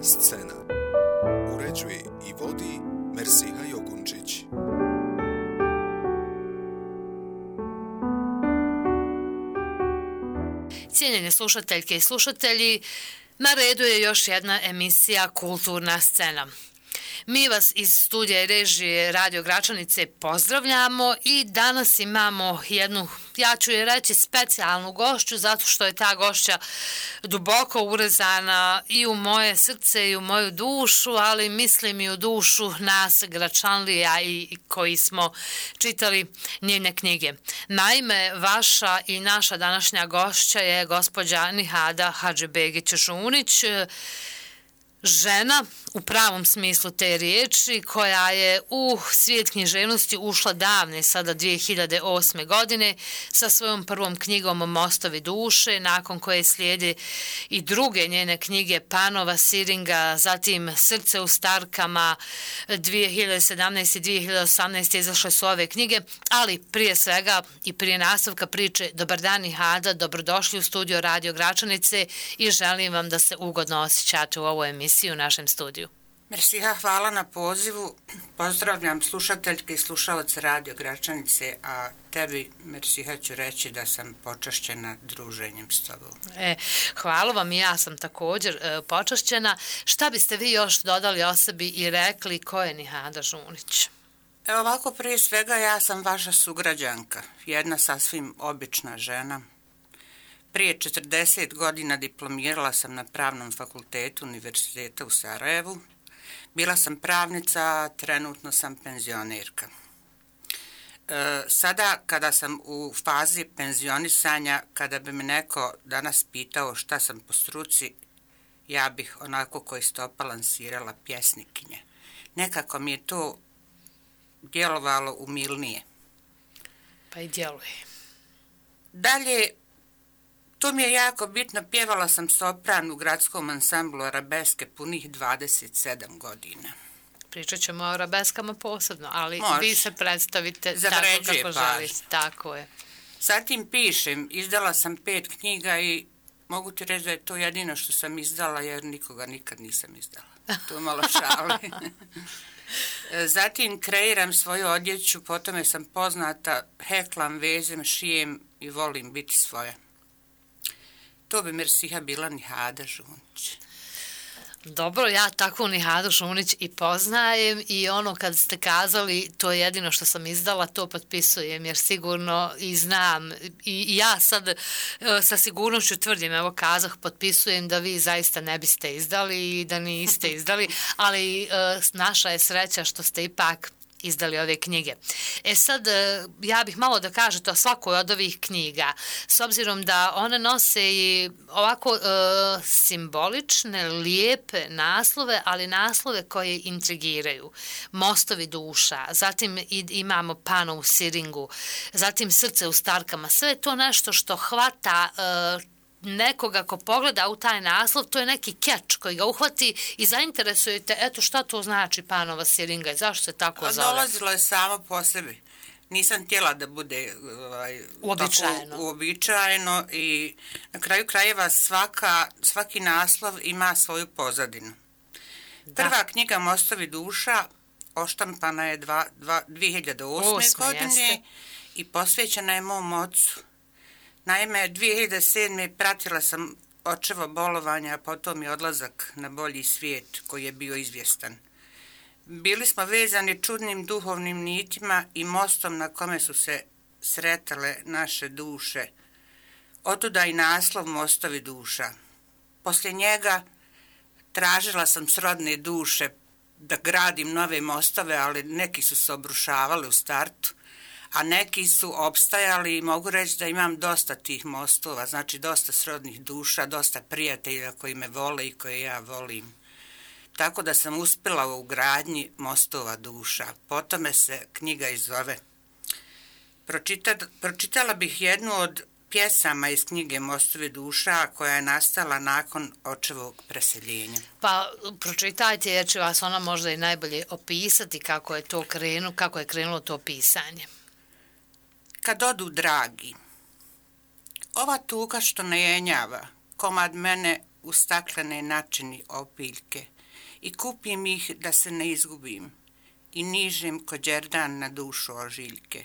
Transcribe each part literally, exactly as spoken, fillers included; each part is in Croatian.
scena. Uređuje i vodi Mersiha Jogunčić. Cijenjene slušateljke i slušatelji, na redu je još jedna emisija Kulturna scena. Mi vas iz studija i režije Radio Gračanice pozdravljamo i danas imamo jednu, ja ću je reći, specijalnu gošću, zato što je ta gošća duboko urezana i u moje srce i u moju dušu, ali mislim i u dušu nas Gračanlija i koji smo čitali njene knjige. Naime, vaša i naša današnja gošća je gospođa Nihada Hadžibegić-Žunić, žena u pravom smislu te riječi, koja je u svijet književnosti ušla davne, sada dvije hiljade osme. godine, sa svojom prvom knjigom Mostovi duše, nakon koje slijede i druge njene knjige Panova Siringa, zatim Srce u starkama, dvije hiljade sedamnaeste. i dvije hiljade osamnaeste. izašle su ove knjige, ali prije svega i prije nastavka priče, dobar dan Nihada, dobrodošli u studio Radio Gračanice i želim vam da se ugodno osjećate u ovoj emisiji u našem studiju. Mersiha, hvala na pozivu. Pozdravljam slušateljke i slušalce Radio Gračanice, a tebi, Mersiha, ću reći da sam počašćena druženjem s tobom. E, hvala vam i ja sam također e, počašćena. Šta biste vi još dodali o sebi i rekli ko je Nihada Žunić? Evo ovako, prije svega ja sam vaša sugrađanka, jedna sasvim obična žena. Prije četrdeset godina diplomirala sam na Pravnom fakultetu Univerziteta u Sarajevu. Bila sam pravnica, a trenutno sam penzionerka. E, sada, kada sam u fazi penzionisanja, kada bi me neko danas pitao šta sam po struci, ja bih onako ko istopa lansirala pjesnikinje. Nekako mi je to djelovalo umilnije. Pa i djeluje. Dalje, to mi je jako bitno, pjevala sam sopran u gradskom ansamblu Arabeske punih dvadeset sedam godina. Pričat ćemo o arabeskama posebno, ali Može. Vi se predstavite Zavređuje tako kako pažnju. želite. Tako je. Zatim pišem, izdala sam pet knjiga i mogu ti reći da je to jedino što sam izdala jer nikoga nikad nisam izdala. To malo šali. Zatim kreiram svoju odjeću, po tome sam poznata, heklam, vezem, šijem i volim biti svoja. To bi Mersiha bila Nihada Žunić. Dobro, ja takvu Nihadu Žunić i poznajem i ono kad ste kazali to je jedino što sam izdala, to potpisujem jer sigurno i znam i ja sad sa sigurnošću tvrdim, evo kazah, potpisujem da vi zaista ne biste izdali i da niste izdali, ali naša je sreća što ste ipak izdali ove knjige. E sad, ja bih malo da kažete o svakoj od ovih knjiga, s obzirom da one nose i ovako e, simbolične, lijepe naslove, ali naslove koje intrigiraju. Mostovi duša, zatim imamo Panovu Siringu, zatim Srce u starkama, sve je to nešto što hvata e, nekoga ko pogleda u taj naslov, to je neki keč koji ga uhvati i zainteresujete, eto šta to znači Panova Siringa i zašto se tako zove. Dolazilo je samo po sebi. Nisam htjela da bude ovaj, uobičajeno. Tako, uobičajeno i na kraju krajeva svaka, svaki naslov ima svoju pozadinu. Da. Prva knjiga Mostovi duša oštampana je dva, dva, dvije hiljade osme. godine jeste. I posvećena je mom ocu. Naime, dvije hiljade sedme. pratila sam očevo bolovanja, a potom je odlazak na bolji svijet koji je bio izvjestan. Bili smo vezani čudnim duhovnim nitima i mostom na kome su se sretale naše duše. Otuda i naslov Mostovi duša. Poslije njega tražila sam srodne duše da gradim nove mostove, ali neki su se obrušavali u startu, a neki su opstajali i mogu reći da imam dosta tih mostova, znači dosta srodnih duša, dosta prijatelja koji me vole i koje ja volim. Tako da sam uspjela u gradnji Mostova duša. Po tome se knjiga i zove. Pročita, pročitala bih jednu od pjesama iz knjige Mostovi duša koja je nastala nakon očevog preseljenja. Pa pročitajte jer će vas ona možda i najbolje opisati kako je to krenulo, kako je krenulo to pisanje. Kad odu dragi, ova tuga što ne jenjava, komad mene u staklene načini opiljke, i kupim ih da se ne izgubim i nižem ko đerdan na dušu ožiljke.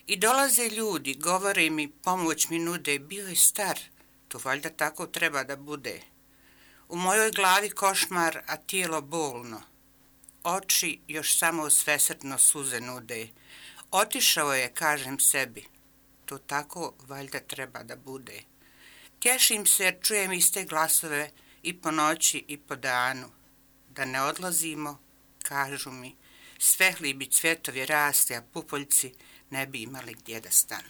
I dolaze ljudi, govore mi, pomoć mi nude, bio je star, to valjda tako treba da bude. U mojoj glavi košmar, a tijelo bolno. Oči još samo svesrdno suze nude. Otišao je, kažem sebi, to tako valjda treba da bude. Tješim se jer čujem iste glasove i po noći i po danu. Da ne odlazimo, kažu mi, svehli bi cvjetovi rasti, a pupoljci ne bi imali gdje da stanu.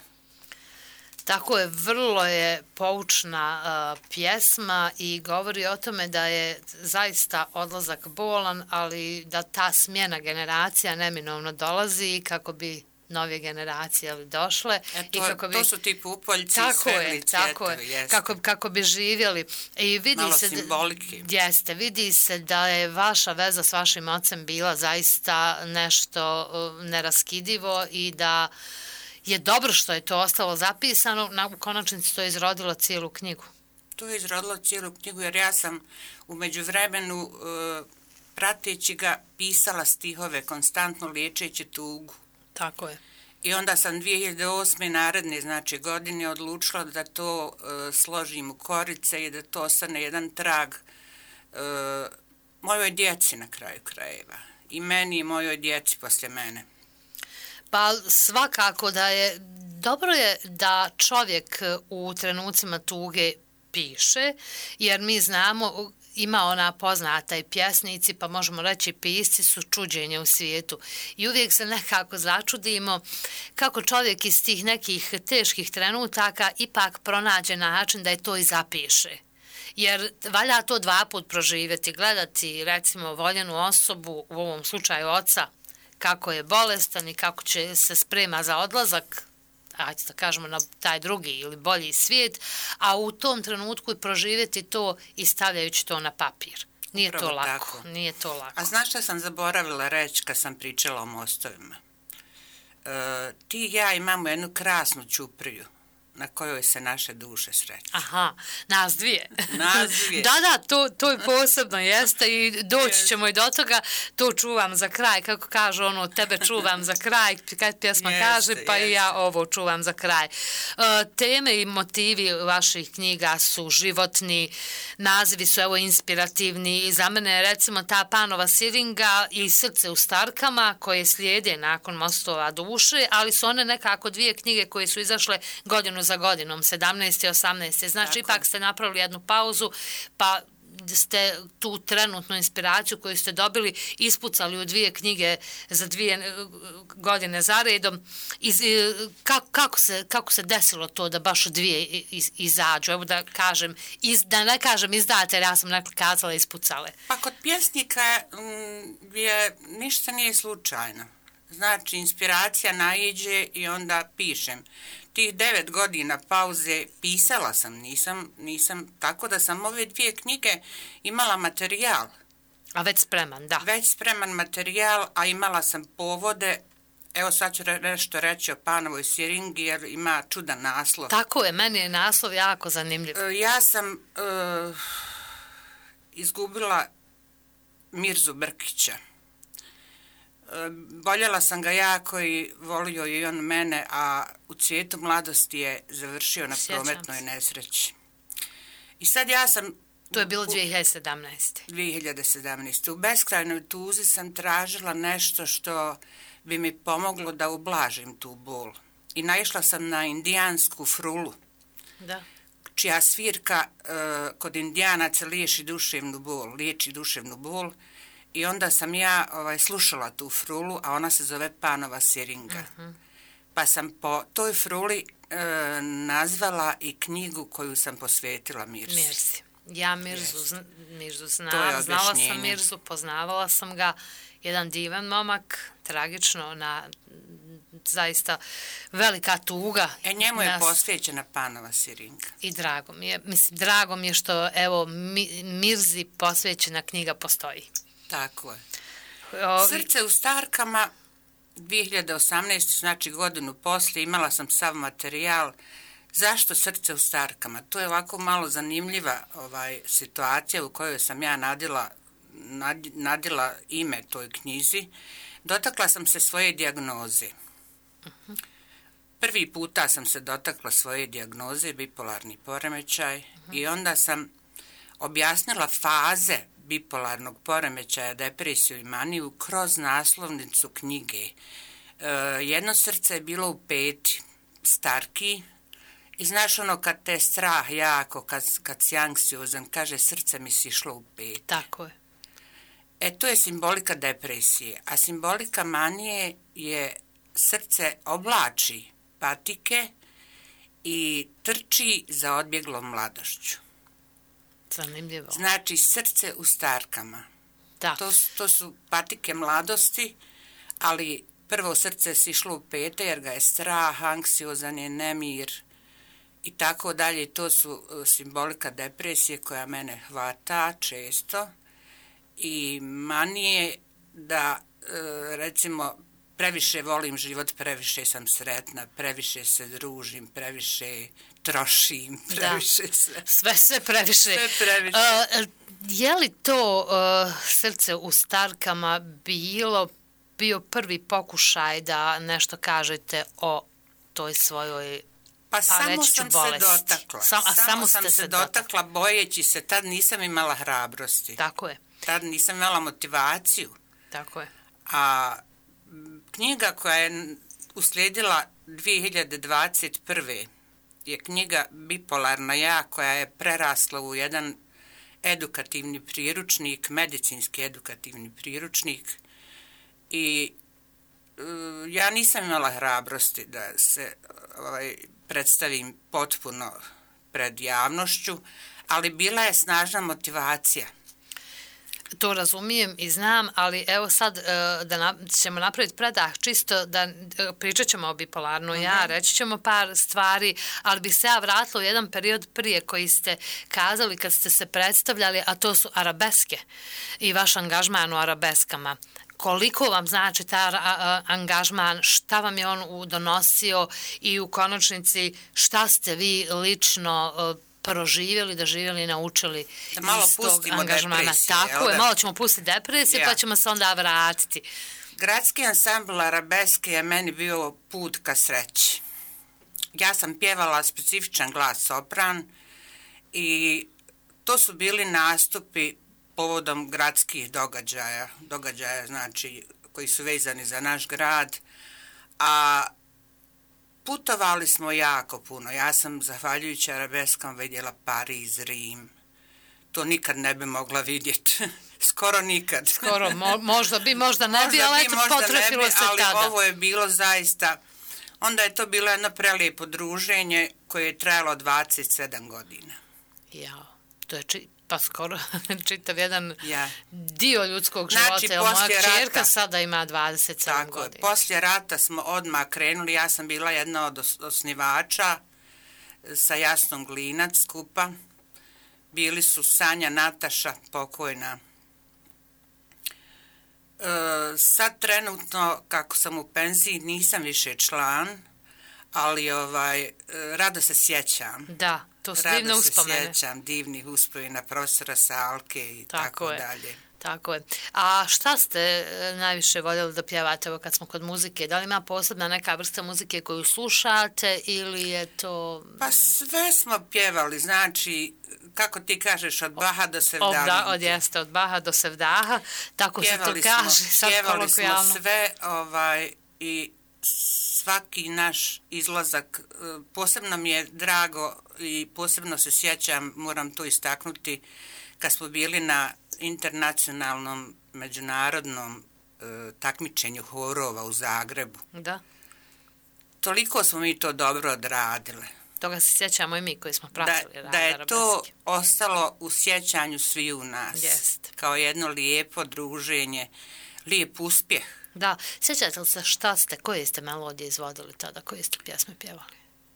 Tako je, vrlo je poučna uh, pjesma i govori o tome da je zaista odlazak bolan, ali da ta smjena generacija neminovno dolazi kako bi nove generacije ali došle. E to, i kako bi, to su ti pupoljci, tako svehli je, cvjetovi, tako je, jeste. kako, kako bi živjeli. I vidi Malo se, simbolike. Jeste, vidi se da je vaša veza s vašim ocem bila zaista nešto uh, neraskidivo i da je dobro što je to ostalo zapisano, na, u konačnici to je izrodilo cijelu knjigu. To je izrodilo cijelu knjigu jer ja sam u međuvremenu uh, prateći ga pisala stihove, konstantno liječeći tugu. Tako je. I onda sam dvije hiljade osme naredne znači, godine odlučila da to uh, složim u korice i da to ostane jedan trag uh, mojoj djeci na kraju krajeva. I meni i mojoj djeci poslije mene. Pa svakako da je, dobro je da čovjek u trenucima tuge piše, jer mi znamo, ima ona poznata i pjesnici, pa možemo reći pisci su čuđenje u svijetu. I uvijek se nekako začudimo kako čovjek iz tih nekih teških trenutaka ipak pronađe način da je to i zapiše. Jer valja to dva put proživjeti, gledati recimo voljenu osobu, u ovom slučaju oca, kako je bolestan i kako će se sprema za odlazak, ajde da kažemo na taj drugi ili bolji svijet, a u tom trenutku i proživjeti to i stavljajući to na papir. Nije Upravo to lako, tako. nije to lako. A znaš šta sam zaboravila reći kad sam pričala o mostovima? E, ti i ja imamo jednu krasnu ćupriju na kojoj se naše duše sreću. Aha, nas dvije. Nas dvije. Da, da, to, to je posebno jeste i doći ćemo i do toga, to čuvam za kraj, kako kaže ono, tebe čuvam za kraj, kad pjesma jeste, kaže, pa jeste. i ja ovo čuvam za kraj. Uh, teme i motivi vaših knjiga su životni, nazivi su evo inspirativni i za mene recimo ta Panova siringa i Srce u starkama koje slijede nakon Mostova duše, ali su one nekako dvije knjige koje su izašle godinu za godinom, sedamnaeste i osamnaeste. Znači, Tako. ipak ste napravili jednu pauzu, pa ste tu trenutnu inspiraciju koju ste dobili ispucali u dvije knjige za dvije godine zaredom. Iz, kako, kako, se, kako se desilo to da baš dvije iz, izađu? Evo da kažem, iz, da ne kažem izdate, jer ja sam nekako kazala ispucale. Pa kod pjesnika m, je, ništa nije slučajno. Znači, inspiracija naiđe i onda pišem. Tih devet godina pauze pisala sam, nisam, nisam, tako da sam ove dvije knjige imala materijal. A već spreman, da. Već spreman materijal, a imala sam povode. Evo sad ću nešto reći o Panovoj siringi jer ima čudan naslov. Tako je, meni je naslov jako zanimljiv. Ja sam uh, izgubila Mirzu Brkića. Voljela sam ga jako i volio i on mene, a u cvijetu mladosti je završio na Sjećam prometnoj se. nesreći. I sad ja sam... To je bilo dvije hiljade sedamnaeste. dvije hiljade sedamnaeste. U beskrajnoj tuzi sam tražila nešto što bi mi pomoglo da ublažim tu bol. I naišla sam na indijansku frulu, Da. čija svirka uh, kod indijanaca liječi duševnu bol, liječi duševnu bol. I onda sam ja ovaj, slušala tu frulu, a ona se zove Panova siringa. Uh-huh. Pa sam po toj fruli e, nazvala i knjigu koju sam posvetila Mirzi. Mirzi. Ja Mirzu, yes. Mirzu znam, znala sam Mirzu, poznavala sam ga. Jedan divan momak, tragično, na zaista velika tuga. E njemu je nas... posvećena Panova siringa. I drago mi je, mislim, drago mi je što evo mi, Mirzi posvećena knjiga postoji. Tako je. Ovi... Srce u starkama, dvije hiljade osamnaeste. znači godinu poslije, imala sam sav materijal. Zašto Srce u starkama? To je ovako malo zanimljiva ovaj, situacija u kojoj sam ja nadila nadila ime toj knjizi, dotakla sam se svoje dijagnoze. Uh-huh. Prvi puta sam se dotakla svoje dijagnoze, bipolarni poremećaj, uh-huh. i onda sam objasnila faze bipolarnog poremećaja, depresiju i maniju kroz naslovnicu knjige. E, jedno srce je bilo u peti, starki, i znaš ono kad te strah jako, kad, kad si anksiozan, kaže srce mi si išlo u peti. Tako je. E, to je simbolika depresije, a simbolika manije je srce oblači patike i trči za odbjeglom mladošću. Zanimljivo. Znači, srce u starkama. Da. To, to su patike mladosti, ali prvo srce si išlo u pete jer ga je strah, anksiozan je, nemir i tako dalje. To su simbolika depresije koja mene hvata često i manije da, recimo, previše volim život, previše sam sretna, previše se družim, previše trošim, previše da. sve. Sve, sve previše. Sve previše. Uh, je li to uh, srce u starkama bilo, bio prvi pokušaj da nešto kažete o toj svojoj Pa, pa samo sam bolesti. se dotakla. Sam, a samo, samo sam ste se se dotakla, dotakla. bojeći se. Tad nisam imala hrabrosti. Tako je. Tad nisam imala motivaciju. Tako je. A knjiga koja je uslijedila dvije hiljade dvadeset prve je knjiga Bipolarna ja, koja je prerasla u jedan edukativni priručnik, medicinski edukativni priručnik i uh, ja nisam imala hrabrosti da se ovaj, predstavim potpuno pred javnošću, ali bila je snažna motivacija. To razumijem i znam, ali evo sad da na, ćemo napraviti predah čisto da pričat ćemo o bipolarno ja, uh-huh. reći ćemo par stvari, ali bih se ja vratila u jedan period prije koji ste kazali kad ste se predstavljali, a to su arabeske i vaš angažman u arabeskama. Koliko vam znači taj angažman, šta vam je on donosio i u konačnici šta ste vi lično proživjeli, da živjeli i naučili da malo iz tog angažmana. Depresije, tako je, malo ćemo pustiti depresije, ja. pa ćemo se onda vratiti. Gradski ansambl arabeske je meni bio put ka sreći. Ja sam pjevala specifičan glas sopran i to su bili nastupi povodom gradskih događaja, događaja znači koji su vezani za naš grad, a putovali smo jako puno. Ja sam, zahvaljujući arabeskom, vidjela Pariz, Rim. To nikad ne bi mogla vidjeti. Skoro nikad. Skoro, mo, možda bi, možda ne bi, ali eto, potrefilo se ali tada. Ali ovo je bilo zaista, onda je to bilo jedno prelijepo druženje koje je trajalo dvadeset sedam godina. Jao, to je či, pa skoro čitav jedan ja. dio ljudskog znači, života. Moja čerka rata, sada ima dvadeset sedam tako, godina. Poslije rata smo odmah krenuli, ja sam bila jedna od osnivača sa Jasnom Glinac skupa. Bili su Sanja Nataša, pokojna. E, sad trenutno, kako sam u penziji, nisam više član, ali ovaj, rado se sjećam. Da, to su divne uspomene. Rado se sjećam divnih uspomena profesora Salke i tako, tako dalje. Tako je. A šta ste najviše voljeli da pjevate, evo kad smo kod muzike? Da li ima posebna neka vrsta muzike koju slušate ili je to... Pa sve smo pjevali, znači, kako ti kažeš, od Baha do Sevdaha. Od, od jeste, od Baha do Sevdaha, tako pjevali se to kaže. Smo, sad pjevali smo sve ovaj, i svaki naš izlazak, posebno mi je drago i posebno se sjećam, moram to istaknuti, kad smo bili na internacionalnom međunarodnom e, takmičenju horova u Zagrebu. Da. Toliko smo mi to dobro odradile. Toga se sjećamo i mi koji smo pratili. Da, da je arabeski. To ostalo u sjećanju svi u nas. Jest. Kao jedno lijepo druženje, lijep uspjeh. Da. Sjećate li se šta ste, koje ste melodije izvodili tada, koje ste pjesme pjevali?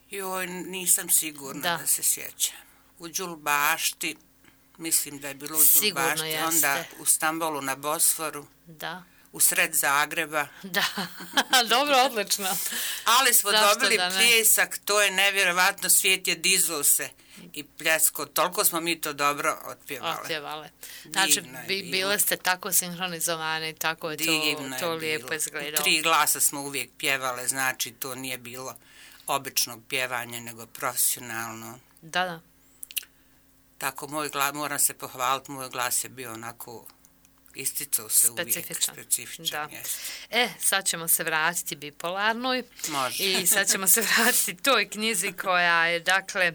Joj, nisam sigurna da, da se sjećam. U Đulbašti, mislim da je bilo u Đulbašti, onda u Stambolu na Bosforu. Da. u sred Zagreba. Da, dobro, odlično. Ali smo Zašto dobili da ne? pljesak, to je nevjerovatno, svijet je dizao se i pljesko, toliko smo mi to dobro otpjevali. Otpjevale. Znači, Divno je bi, bilo. bile ste tako sinhronizovane, tako je to, Divno je to lijepo bilo. izgledalo. U tri glasa smo uvijek pjevale, znači to nije bilo običnog pjevanja, nego profesionalno. Da, da. Tako, moj glas, moram se pohvaliti, moj glas je bio onako, isticao se uvijek. Specifičan. Specifičan, Da. jest. E, sad ćemo se vratiti bipolarnoj. Može. I sad ćemo se vratiti toj knjizi koja je, dakle,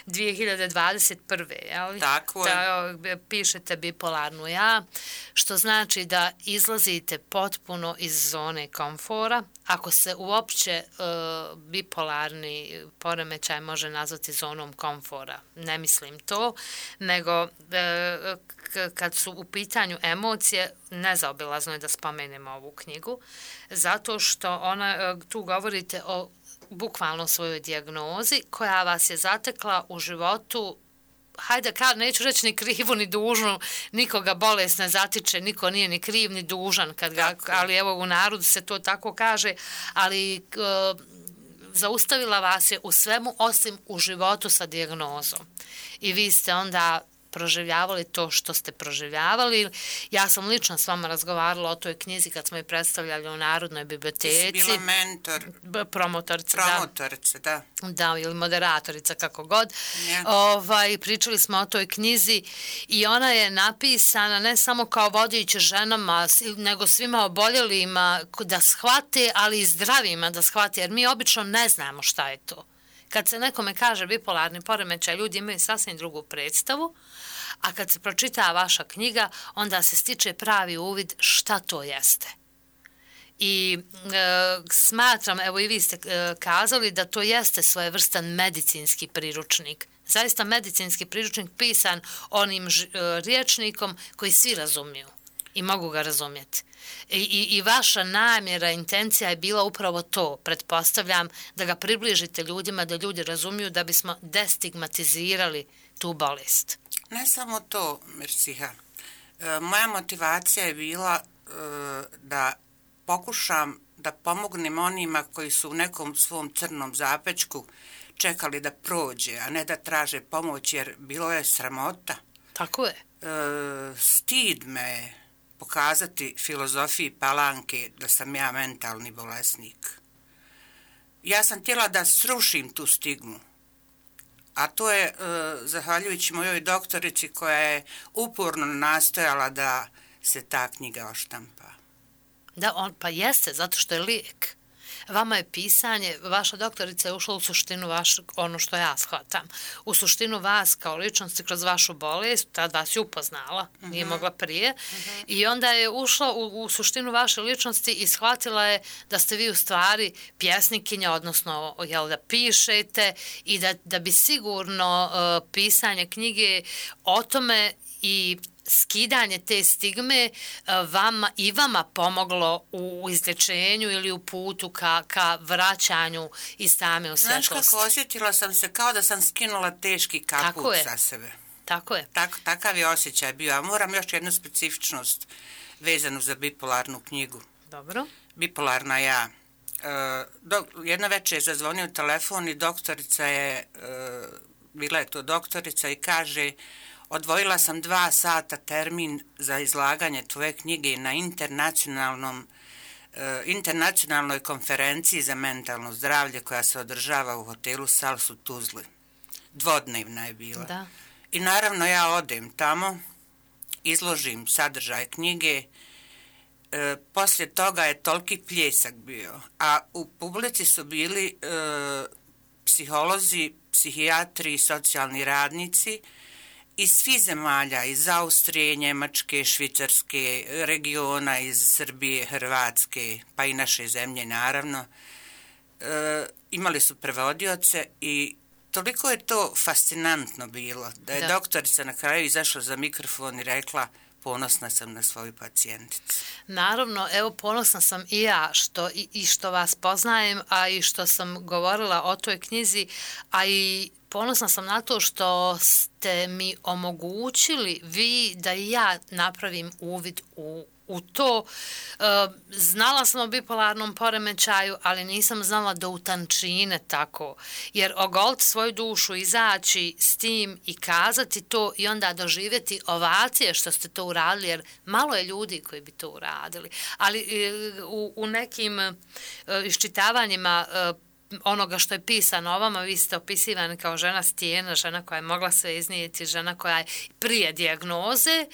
dvije hiljade dvadeset prve. Jel? Tako je. Da, pišete bipolarnu ja, što znači da izlazite potpuno iz zone komfora. Ako se uopće uh, bipolarni poremećaj može nazvati zonom komfora, ne mislim to, nego uh, k- kad su u pitanju emocije, nezaobilazno je da spomenemo ovu knjigu, zato što ona, uh, tu govorite o bukvalno svojoj dijagnozi koja vas je zatekla u životu, hajde kad neću reći ni krivu ni dužnu, nikoga bolest ne zatiče, niko nije ni kriv ni dužan, kad ga, ali evo u narodu se to tako kaže, ali e, zaustavila vas je u svemu osim u životu sa dijagnozom. I vi ste onda proživljavali to što ste proživljavali. Ja sam lično s vama razgovarala o toj knjizi kad smo je predstavljali u Narodnoj biblioteci. Ti si bila mentor. B- promotorica, Promotorica, da. da. Da, ili moderatorica, kako god. Ja. Ovaj, pričali smo o toj knjizi i ona je napisana ne samo kao vodič ženama, nego svima oboljelima da shvate, ali i zdravima da shvate, jer mi obično ne znamo šta je to. Kad se nekome kaže bipolarni poremećaj, ljudi imaju sasvim drugu predstavu, a kad se pročita vaša knjiga, onda se stiče pravi uvid šta to jeste. I e, smatram, evo i vi ste e, kazali, da to jeste svojevrstan medicinski priručnik. Zaista medicinski priručnik pisan onim ž, e, rječnikom koji svi razumiju i mogu ga razumjeti. I, i, I vaša namjera, intencija je bila upravo to, pretpostavljam, da ga približite ljudima, da ljudi razumiju, da bismo destigmatizirali tu bolest. Ne samo to, Mirsiha. E, moja motivacija je bila e, da pokušam da pomognem onima koji su u nekom svom crnom zapečku čekali da prođe, a ne da traže pomoć, jer bilo je sramota. Tako je. E, stid me je pokazati filozofiji Palanke da sam ja mentalni bolesnik. Ja sam htjela da srušim tu stigmu, a to je e, zahvaljujući mojoj doktorici koja je uporno nastojala da se ta knjiga oštampa. Da, on, pa jeste, zato što je lijek. Vama je pisanje, vaša doktorica je ušla u suštinu vaš, ono što ja shvatam, u suštinu vas kao ličnosti kroz vašu bolest, tad vas je upoznala, uh-huh. nije mogla prije, uh-huh. i onda je ušla u, u suštinu vaše ličnosti i shvatila je da ste vi u stvari pjesnikinja, odnosno jel, da pišete i da, da bi sigurno uh, pisanje knjige o tome i skidanje te stigme vama i vama pomoglo u izlječenju ili u putu ka, ka vraćanju iz tame u svjetlost. Znaš kako, osjetila sam se kao da sam skinula teški kaput sa sebe. Tako je. Tak, takav je osjećaj bio. A moram još jednu specifičnost vezanu za bipolarnu knjigu. Dobro. Bipolarna ja. E, do, jedna večer je zazvonio telefon i doktorica je, e, bila je to doktorica i kaže: odvojila sam dva sata termin za izlaganje tvoje knjige na internacionalnom, eh, internacionalnoj konferenciji za mentalno zdravlje koja se održava u hotelu Sals u Tuzli. Dvodnevna je bila. Da. I naravno ja odem tamo, izložim sadržaj knjige, eh, poslije toga je toliki pljesak bio, a u publici su bili eh, psiholozi, psihijatri i socijalni radnici iz svih zemalja, iz Austrije, Njemačke, Švicarske, regiona, iz Srbije, Hrvatske, pa i naše zemlje, naravno. E, imali su prevodioce i toliko je to fascinantno bilo, da je da. doktorica na kraju izašla za mikrofon i rekla: ponosna sam na svoju pacijenticu. Naravno, evo, ponosna sam i ja što, i, i što vas poznajem, a i što sam govorila o toj knjizi, a i ponosna sam na to što ste mi omogućili vi da i ja napravim uvid u u to. E, znala sam o bipolarnom poremećaju, ali nisam znala do utančine tako. Jer ogoliti svoju dušu, izaći s tim i kazati to i onda doživjeti ovacije što ste to uradili, jer malo je ljudi koji bi to uradili. Ali e, u, u nekim e, iščitavanjima e, onoga što je pisano o vama, vi ste opisivani kao žena stijena, žena koja je mogla sve iznijeti, žena koja je prije dijagnoze,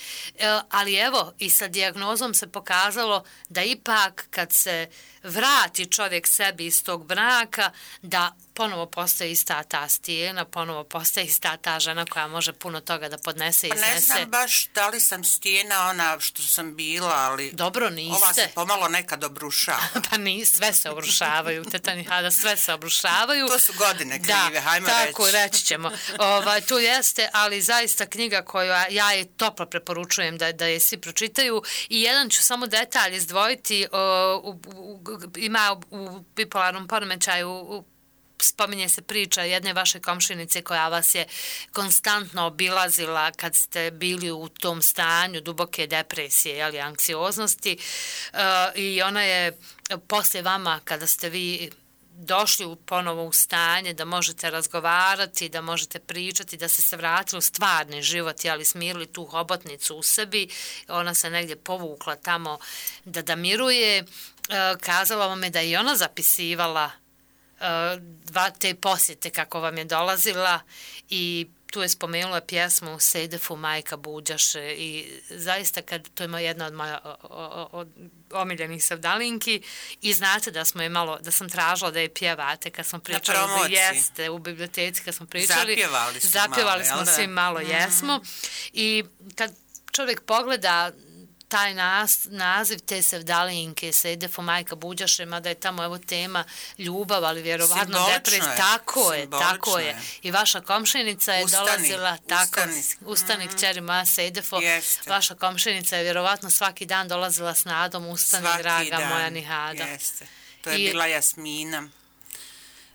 ali evo i sa dijagnozom se pokazalo da ipak kad se vrati čovjek sebi iz tog braka, da ponovo postoji ista ta stijena, ponovo postoji ista ta žena koja može puno toga da podnese i iznese. Pa ne znam baš da li sam stijena ona što sam bila, ali dobro, niste. Ova se pomalo nekad obrušava. Pa ni, sve se obrušavaju, teta Nihada, sve se obrušavaju. To su godine krive, da, hajmo tako, reći. Tako, reći ćemo. Ovaj, tu jeste, ali zaista knjiga koju ja je toplo preporučujem da, da je svi pročitaju. I jedan ću samo detalj izdvojiti, o, u, u, ima u bipolarnom poremećaju u, spominje se priča jedne vaše komšinice koja vas je konstantno obilazila kad ste bili u tom stanju duboke depresije ili anksioznosti uh, i ona je poslije vama kada ste vi došli u ponovo u stanje da možete razgovarati, da možete pričati, da ste se vratili u stvarni život, ali smirili tu hobotnicu u sebi, ona se negdje povukla tamo da da miruje, uh, kazala vam je da je ona zapisivala dva te posjete kako vam je dolazila i tu je spomenula pjesmu Sejdefu Majka Buđaše i zaista kad to ima jedna od moja od omiljenih sevdalinki i znate da smo je malo, da sam tražila da je pjevate kad smo pričali, jeste u biblioteci kad smo pričali, zapjevali, zapjevali malo, smo svi malo, mm-hmm. jesmo i kad čovjek pogleda taj nas, naziv te sevdalinke, Sejdefu Majka Buđaše, mada je tamo evo tema ljubav, ali vjerovatno depres, tako je, tako je. I vaša komšinica je ustani, dolazila, tako, ustani, ustani mm-hmm. kćeri moja Sejdefo, jeste. Vaša komšinica je vjerovatno svaki dan dolazila s nadom, ustani svaki draga dan. Moja Nihada. Jeste. To je I, bila Jasmina.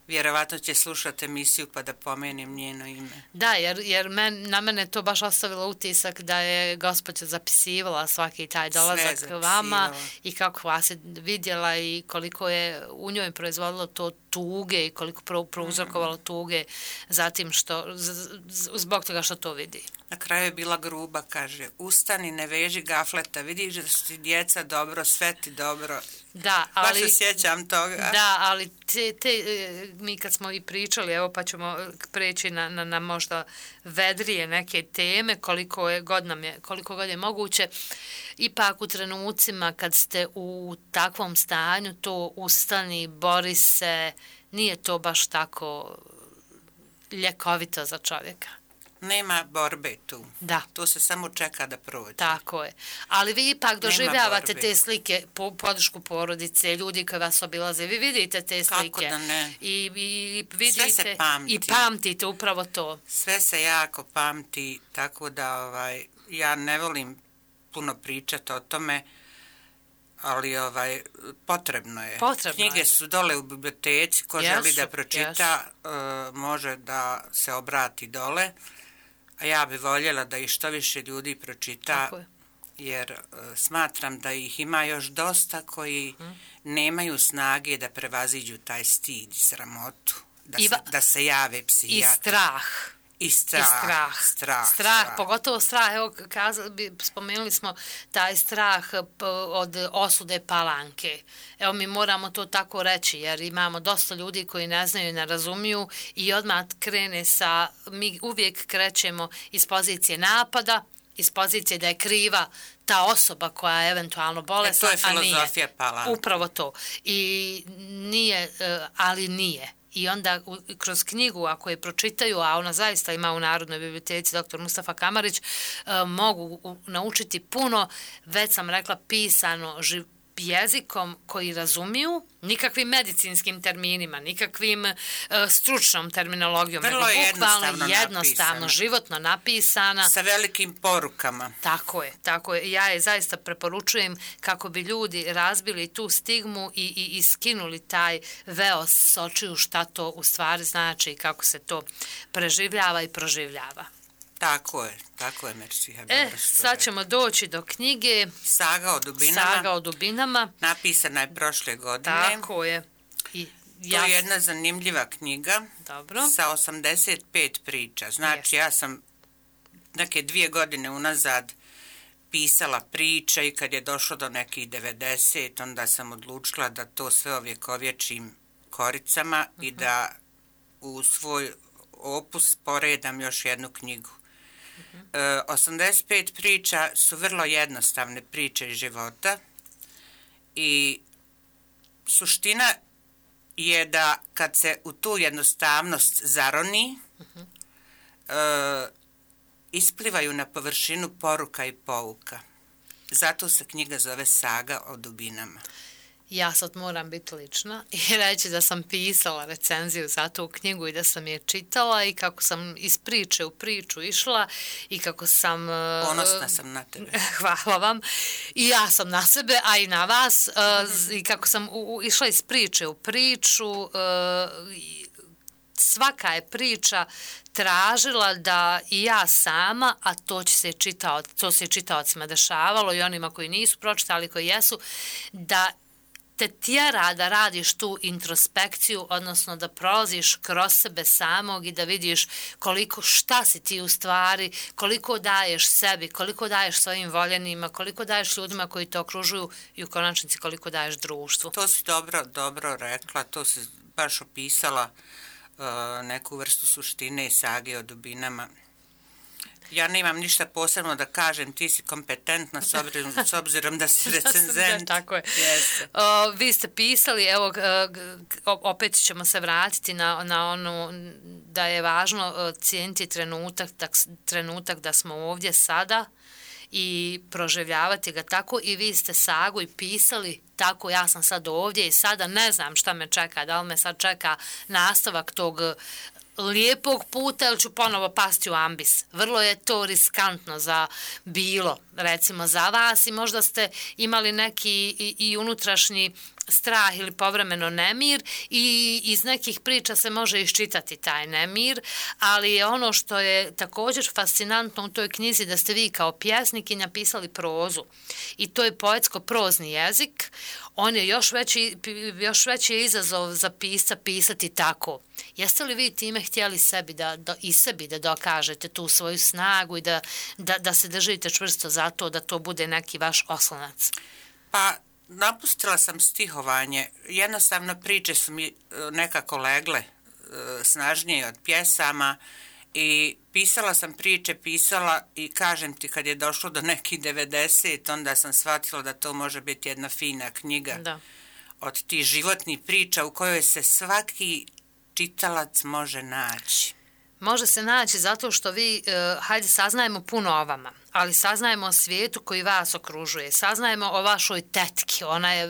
Vjerovatno će slušati emisiju pa da pomenem njeno ime. Da, jer, jer men, na mene to baš ostavilo utisak da je gospođa zapisivala svaki taj dolazak vama i kako vas je vidjela i koliko je u njoj proizvodilo to tuge i koliko prouzrokovalo tuge zatim što, zbog toga što to vidi. Na kraju je bila gruba, kaže, ustani, ne veži gafleta, vidiš da su ti djeca dobro, sve ti dobro. Da, ali, baš se sjećam toga. Da, ali te, te, mi kad smo i pričali, evo pa ćemo preći na, na, na možda vedrije neke teme, koliko je god nam je, koliko god je moguće, ipak u trenucima kad ste u takvom stanju, to ustani, bori se, nije to baš tako ljekovito za čovjeka. Nema borbe tu. Da. To se samo čeka da prođe. Tako je. Ali vi ipak doživljavate te slike, po, podršku porodice, ljudi koji vas obilaze. Vi vidite te slike. Kako da ne. I, i vidite, sve se pamti. I pamtite upravo to. Sve se jako pamti, tako da ovaj, ja ne volim puno pričati o tome, ali ovaj potrebno je. Potrebno Knjige je. su dole u biblioteci, ko jesu, želi da pročita, uh, može da se obrati dole. A ja bi voljela da ih što više ljudi pročita, jer uh, smatram da ih ima još dosta koji hmm. nemaju snage da prevaziđu taj stid i sramotu, da, I va, se, da se jave psihijatru. I strah. I strah, I strah. Strah, strah, strah, pogotovo strah, evo kazali, spomenuli smo taj strah od osude Palanke. Evo mi moramo to tako reći jer imamo dosta ljudi koji ne znaju i ne razumiju i odmah krene sa, mi uvijek krećemo iz pozicije napada, iz pozicije da je kriva ta osoba koja je eventualno bolesna, e, to je filozofija Palanke. Upravo to. I nije, ali nije. I onda kroz knjigu, ako je pročitaju, a ona zaista ima u Narodnoj biblioteci doktor Mustafa Kamarić, mogu naučiti puno, već sam rekla, pisano jezikom koji razumiju, nikakvim medicinskim terminima, nikakvim uh, stručnom terminologijom, vrlo nego bukvalno jednostavno, jednostavno napisana. životno napisana. Sa velikim porukama. Tako je, tako je. Ja je zaista preporučujem kako bi ljudi razbili tu stigmu i, i, i skinuli taj veo s očiju šta to u stvari znači i kako se to preživljava i proživljava. Tako je, tako je, Mersiha. E, sad ćemo doći do knjige Saga o dubinama. Saga o dubinama. Napisana je prošle godine. Tako je. I ja... To je jedna zanimljiva knjiga. Dobro. Sa osamdeset pet priča. Znači, yes. Ja sam neke dvije godine unazad pisala priče i kad je došlo do nekih devedeset, onda sam odlučila da to sve ovjekovječim koricama uh-huh. i da u svoj opus poredam još jednu knjigu. Uh-huh. E, osamdeset pet priča su vrlo jednostavne priče iz života i suština je da kad se u tu jednostavnost zaroni, uh-huh. e, isplivaju na površinu poruka i pouka. Zato se knjiga zove Saga o dubinama. Ja sad moram biti lična i reći da sam pisala recenziju za tu knjigu i da sam je čitala i kako sam iz priče u priču išla i kako sam... Ponosna sam na tebe. Hvala vam. I ja sam na sebe, a i na vas. I kako sam u, išla iz priče u priču, svaka je priča tražila da i ja sama, a to će se čitao, to se čitaocima dešavalo i onima koji nisu pročitali, koji jesu, da te tjera da radiš tu introspekciju, odnosno da prolaziš kroz sebe samog i da vidiš koliko, šta si ti u stvari, koliko daješ sebi, koliko daješ svojim voljenima, koliko daješ ljudima koji te okružuju i u konačnici koliko daješ društvu. To si dobro, dobro rekla, to si baš opisala uh, neku vrstu suštine i sage o dubinama. Ja nemam ništa posebno da kažem, ti si kompetentna s obzirom, s obzirom da si recenzent. Tako je. Yes. O, vi ste pisali, evo, opet ćemo se vratiti na, na ono da je važno cijeniti trenutak, tak, trenutak da smo ovdje sada i proživljavati ga tako i vi ste sagu i pisali tako, ja sam sad ovdje i sada ne znam šta me čeka, da li me sad čeka nastavak tog lijepog puta ili ću ponovo pasti u ambis. Vrlo je to riskantno za bilo, recimo za vas i možda ste imali neki i, i unutrašnji strah ili povremeno nemir i iz nekih priča se može iščitati taj nemir, ali je ono što je također fascinantno u toj knjizi da ste vi kao pjesnik i napisali prozu i to je poetsko-prozni jezik. On je još veći, još veći izazov za pisca pisati tako. Jeste li vi time htjeli sebi da, da, i sebi da dokažete tu svoju snagu i da, da, da se držite čvrsto za to da to bude neki vaš oslonac? Pa, napustila sam stihovanje. Jednostavno priče su mi nekako legle snažnije od pjesama i pisala sam priče, pisala i kažem ti kad je došlo do nekih devedeset, onda sam shvatila da to može biti jedna fina knjiga da. Od tih životnih priča u kojoj se svaki čitalac može naći. Može se naći zato što vi, uh, hajde, saznajemo puno o vama, ali saznajemo o svijetu koji vas okružuje, saznajemo o vašoj tetki, ona je,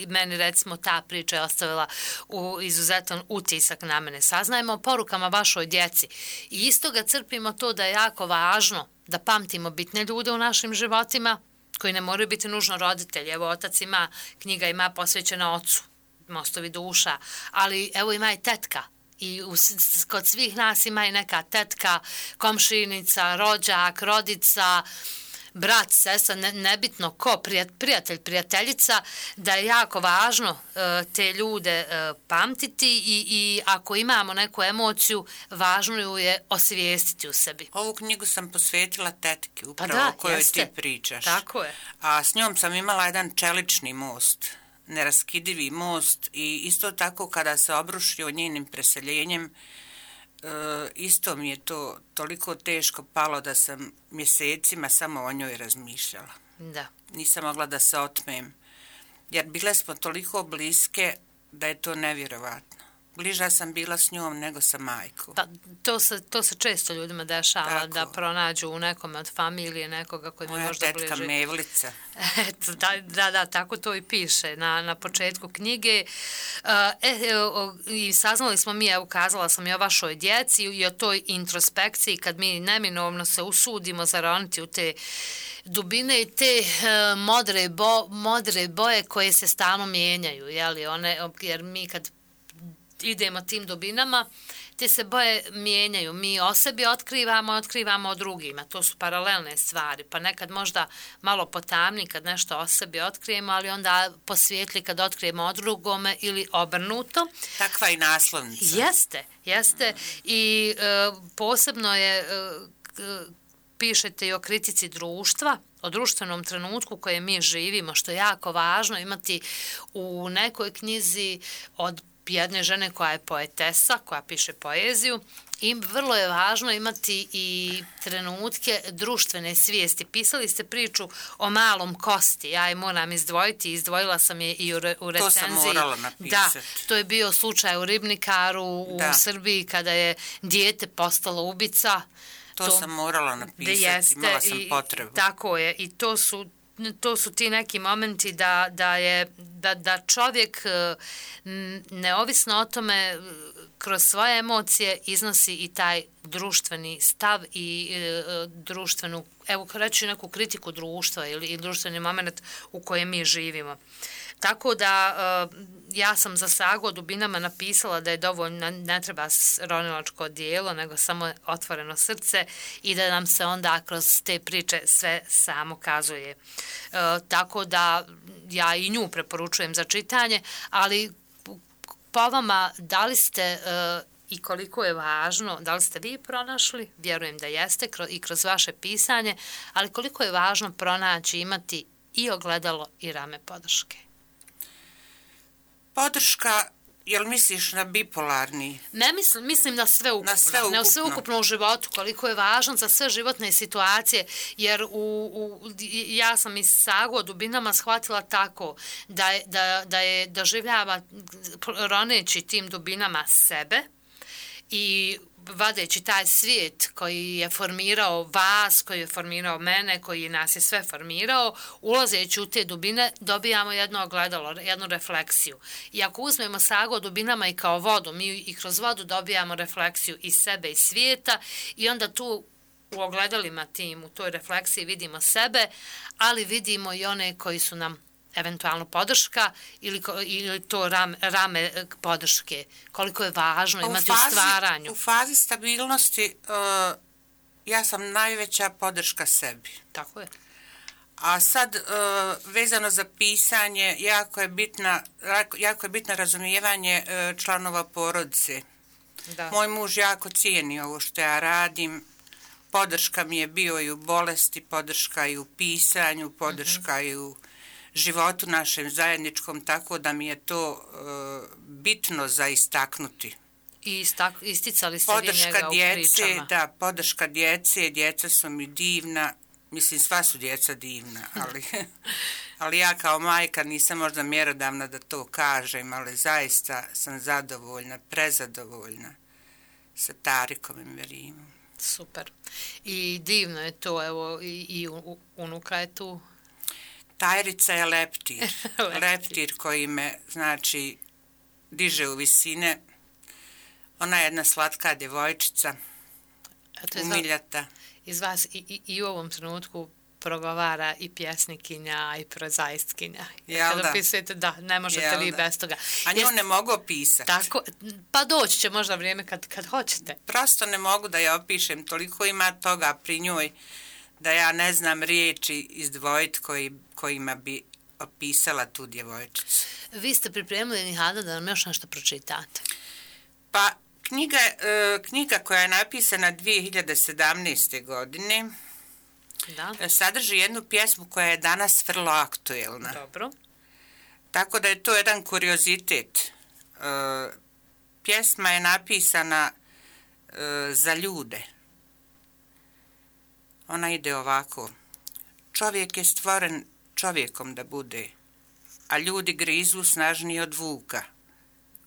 meni recimo ta priča je ostavila u izuzetan utisak na mene, saznajemo o porukama vašoj djeci i isto ga crpimo to da je jako važno da pamtimo bitne ljude u našim životima, koji ne moraju biti nužno roditelji. Evo, otac ima, knjiga ima posvećena ocu, Mostovi duša, ali evo ima i tetka. I u, kod svih nas ima i neka tetka, komšinica, rođak, rodica, brat, sestra, ne, nebitno ko, prijatelj, prijateljica, da je jako važno uh, te ljude uh, pamtiti i, i ako imamo neku emociju, važno ju je osvijestiti u sebi. Ovu knjigu sam posvetila tetki, upravo pa da, o kojoj jeste. Ti pričaš. Tako je. A s njom sam imala jedan čelični most, neraskidivi most i isto tako kada se obrušio njenim preseljenjem, e, isto mi je to toliko teško palo da sam mjesecima samo o njoj razmišljala. Da. Nisam mogla da se otmem, jer bile smo toliko bliske da je to nevjerovatno. Bliža sam bila s njom nego sa majkom. Pa, to, se, to se često ljudima dešava, tako. Da pronađu u nekome od familije nekoga koji mi možda bliži. Moja tetka Mevlica. Eto, da, da, da, tako to i piše na, na početku knjige. E, i saznali smo mi, evo, ukazala sam i o vašoj djeci i o toj introspekciji kad mi neminovno se usudimo zaroniti u te dubine i te uh, modre, bo, modre boje koje se stalno mijenjaju, jeli, one, jer mi kad idemo tim dubinama, te se boje mijenjaju. Mi o sebi otkrivamo, otkrivamo o drugima. To su paralelne stvari. Pa nekad možda malo potamni kad nešto o sebi otkrijemo, ali onda posvijetli kad otkrijemo o drugome ili obrnuto. Takva i naslovnica. Jeste, jeste. I e, posebno je, e, pišete i o kritici društva, o društvenom trenutku u kojem mi živimo, što je jako važno imati u nekoj knjizi od jedne žene koja je poetesa, koja piše poeziju, i vrlo je važno imati i trenutke društvene svijesti. Pisali ste priču o malom Kosti, ja je moram izdvojiti, izdvojila sam je i u, re, u recenziji. To sam morala napisati. Da, to je bio slučaj u Ribnikaru u da. Srbiji kada je dijete postalo ubica. To, to sam morala napisati, jeste, imala sam i, potrebu. Tako je, i to su to su ti neki momenti da, da, je, da, da čovjek neovisno o tome kroz svoje emocije iznosi i taj društveni stav i e, društvenu, evo reći neku kritiku društva ili, ili društveni moment u kojem mi živimo. Tako da e, ja sam za Sagu o dubinama napisala da je dovoljno, ne treba ronilačko dijelo, nego samo otvoreno srce i da nam se onda kroz te priče sve samo kazuje. E, tako da ja i nju preporučujem za čitanje, ali po vama da li ste e, i koliko je važno, da li ste vi pronašli, vjerujem da jeste i kroz vaše pisanje, ali koliko je važno pronaći, imati i ogledalo i rame podrške? Podrška, jel misliš na bipolarni? Ne mislim, mislim na sve ukupno. Na sve ukupno. Na sve ukupno u životu, koliko je važno za sve životne situacije, jer u, u, ja sam iz Sagu o dubinama shvatila tako da, da, da je doživljava roneći tim dubinama sebe i vadeći taj svijet koji je formirao vas, koji je formirao mene, koji nas je sve formirao, ulazeći u te dubine dobijamo jedno ogledalo, jednu refleksiju. I ako uzmemo Sagu o dubinama i kao vodu, mi i kroz vodu dobijamo refleksiju i sebe i svijeta i onda tu u ogledalima tim, u toj refleksiji vidimo sebe, ali vidimo i one koji su nam eventualno podrška ili, ili to ram, rame podrške. Koliko je važno u imati fazi, u stvaranju. U fazi stabilnosti uh, ja sam najveća podrška sebi. Tako je. A sad, uh, vezano za pisanje, jako je bitna, jako je bitno razumijevanje uh, članova porodice. Da. Moj muž jako cijeni ovo što ja radim. Podrška mi je bio i u bolesti, podrška i u pisanju, podrška mm-hmm. i u životu našem zajedničkom, tako da mi je to uh, bitno za istaknuti. I istak, isticali ste podrška vi njega djece, u pričama. Da, podrška djece, djeca su mi divna, mislim sva su djeca divna, ali, ali ja kao majka nisam možda mjerodavna da to kažem, ali zaista sam zadovoljna, prezadovoljna sa Tarikom i Merimom. Super. I divno je to, evo, i, i unuka je tu. Tajrica je leptir, leptir koji me, znači, diže u visine. Ona je jedna slatka djevojčica, Eto, umiljata. Iz vas i, i, i u ovom trenutku progovara i pjesnikinja i prozaistkinja. Jel da? Opisujete, da, ne možete Jel vi da? Bez toga. A nju Jest, ne mogu opisati. Tako, pa doći će možda vrijeme kad, kad hoćete. Prosto ne mogu da je opišem, toliko ima toga pri njoj da ja ne znam riječi izdvojiti koji, kojima bi opisala tu djevojčicu. Vi ste pripremili, Nihada, da nam još nešto pročitate. Pa, knjiga, e, knjiga koja je napisana dvije hiljade sedamnaeste. godine da. sadrži jednu pjesmu koja je danas vrlo aktuelna. Dobro. Tako da je to jedan kuriozitet. E, pjesma je napisana e, za ljude. Ona ide ovako. Čovjek je stvoren čovjekom da bude, a ljudi grizu snažniji od vuka.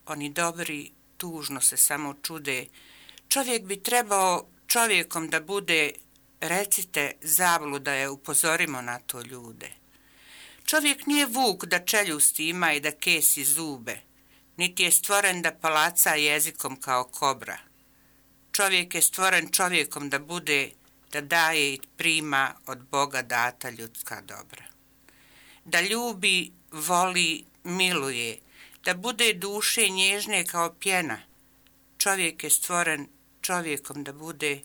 Oni dobri tužno se samo čude. Čovjek bi trebao čovjekom da bude, recite zabluda je, upozorimo na to ljude. Čovjek nije vuk da čeljusti ima i da kesi zube, niti je stvoren da palaca jezikom kao kobra. Čovjek je stvoren čovjekom da bude, da daje i prima od Boga data ljudska dobra. Da ljubi, voli, miluje, da bude duše nježne kao pjena, čovjek je stvoren čovjekom da bude,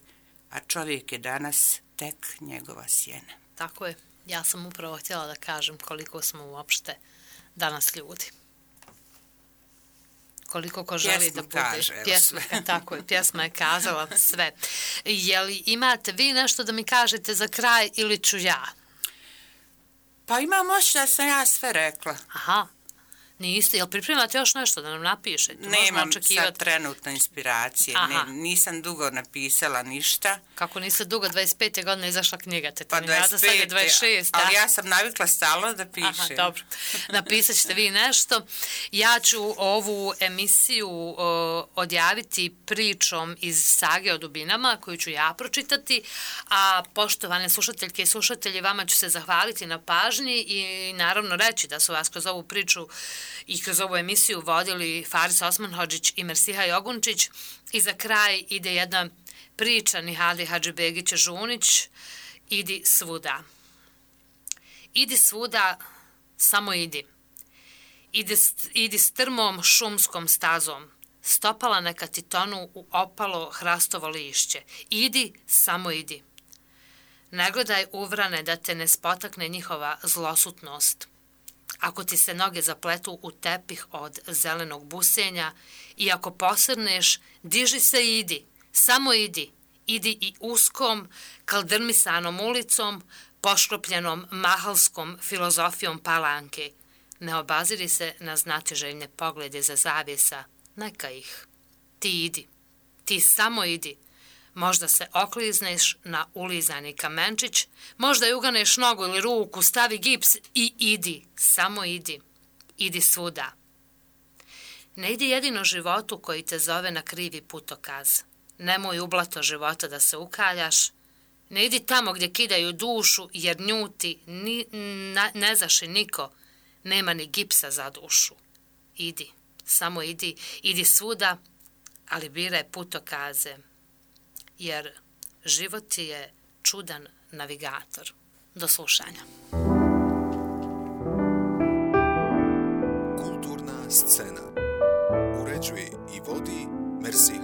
a čovjek je danas tek njegova sjena. Tako je. Ja sam upravo htjela da kažem koliko smo uopšte danas ljudi. Koliko ko želi Pjesma da bude. kaže, Pjesma, tako je, pjesma je kazala sve. Je li imate vi nešto da mi kažete za kraj ili ću ja? Pa imam moć da sam ja sve rekla. Aha. Niste, jel pripremate još nešto da nam napišete? Nemam sad trenutno inspiracije, ne, nisam dugo napisala ništa. Kako niste dugo, dvadeset pete godine izašla knjiga, te pa dvadeset pet, dvadeset šest, ali ja sam navikla stalno da pišem. Aha, dobro, napisat ćete vi nešto. Ja ću ovu emisiju o, odjaviti pričom iz sage o dubinama, koju ću ja pročitati, a poštovane slušateljke i slušatelji, vama ću se zahvaliti na pažnji i naravno reći da su vas kroz ovu priču i kroz ovu emisiju vodili Faris Osmanhodžić i Mersiha Jogunčić. I za kraj ide jedna priča Nihali Hadžibegića Žunić, Idi svuda. Idi svuda, samo idi. Idi, idi strmom šumskom stazom. Stopala neka ti tonu u opalo hrastovo lišće. Idi, samo idi. Ne gledaj uvrane da te ne spotakne njihova zlosutnost. Ako ti se noge zapletu u tepih od zelenog busenja i ako posrneš, diži se i idi, samo idi. Idi i uskom, kaldrmisanom ulicom, pošklopljenom mahalskom filozofijom palanke. Ne obaziri se na znatiželjne poglede za zavjesa, neka ih. Ti idi, ti samo idi. Možda se oklizneš na ulizani kamenčić, možda i uganeš nogu ili ruku, stavi gips i idi, samo idi. Idi svuda. Ne idi jedino životu koji te zove na krivi putokaz. Nemoj u blato života da se ukaljaš. Ne idi tamo gdje kidaju dušu, jer njuti ni, na, ne zaši niko, nema ni gipsa za dušu. Idi, samo idi, idi svuda, ali biraj putokaze. Jer život ti je čudan navigator. Do slušanja. Kulturna scena. Uređuje i vodi Mersiha